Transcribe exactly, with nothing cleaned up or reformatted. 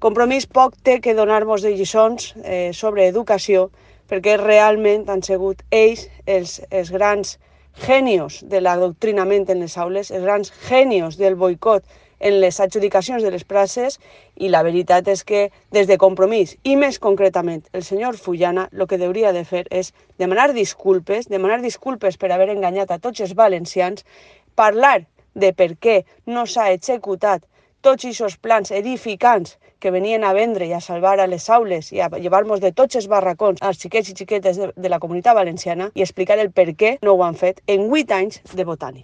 Compromís poc té que donar-nos de lliçons eh, sobre educació, perquè realment han sigut ells els, els grans genios de l'adoctrinament en les aules, els grans genios del boicot en les adjudicacions de les places, i la veritat és que des de Compromís, i més concretament el senyor Fullana, el que hauria de fer és demanar disculpes, demanar disculpes per haver enganyat a tots els valencians, parlar de per què no s'ha executat tots aquests plans edificants que venien a vendre i a salvar a les aules i a llevar-nos de tots els barracons als xiquets i xiquetes de, de la Comunitat Valenciana, i explicar el per què no ho han fet en vuit anys de Botànic.